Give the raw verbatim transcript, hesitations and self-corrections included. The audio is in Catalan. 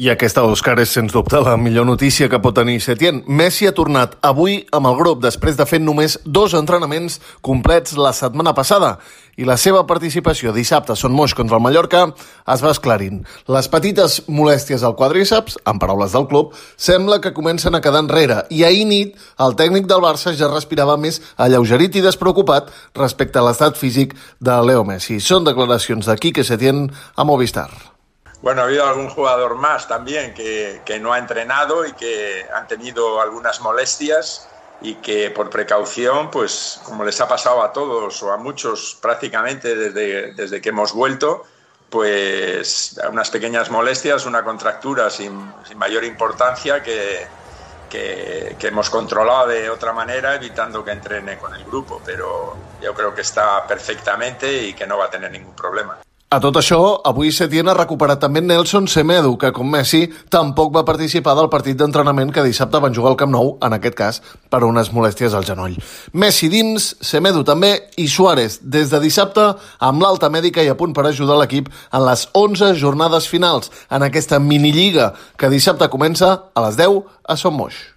I aquesta, Òscar, és sens dubte la millor notícia que pot tenir Setién. Messi ha tornat avui amb el grup després de fer només dos entrenaments complets la setmana passada i la seva participació dissabte a Son Moix contra el Mallorca es va esclarint. Les petites molèsties al quadríceps, en paraules del club, sembla que comencen a quedar enrere i ahir nit el tècnic del Barça ja respirava més alleugerit i despreocupat respecte a l'estat físic de Leo Messi. Són declaracions de Quique Setién a Movistar. Bueno, ha habido algún jugador más también que, que no ha entrenado y que han tenido algunas molestias y que por precaución, pues como les ha pasado a todos o a muchos prácticamente desde, desde que hemos vuelto, pues unas pequeñas molestias, una contractura sin, sin mayor importancia que, que, que hemos controlado de otra manera evitando que entrene con el grupo, pero yo creo que está perfectamente y que no va a tener ningún problema. A tot això, avui Setién ha recuperat també Nelson Semedo, que, com Messi, tampoc va participar del partit d'entrenament que dissabte van jugar al Camp Nou, en aquest cas, per unes molèsties al genoll. Messi dins, Semedo també, i Suárez, des de dissabte, amb l'alta mèdica i a punt per ajudar l'equip en les onze jornades finals, en aquesta minilliga, que dissabte comença a les deu a Son Moix.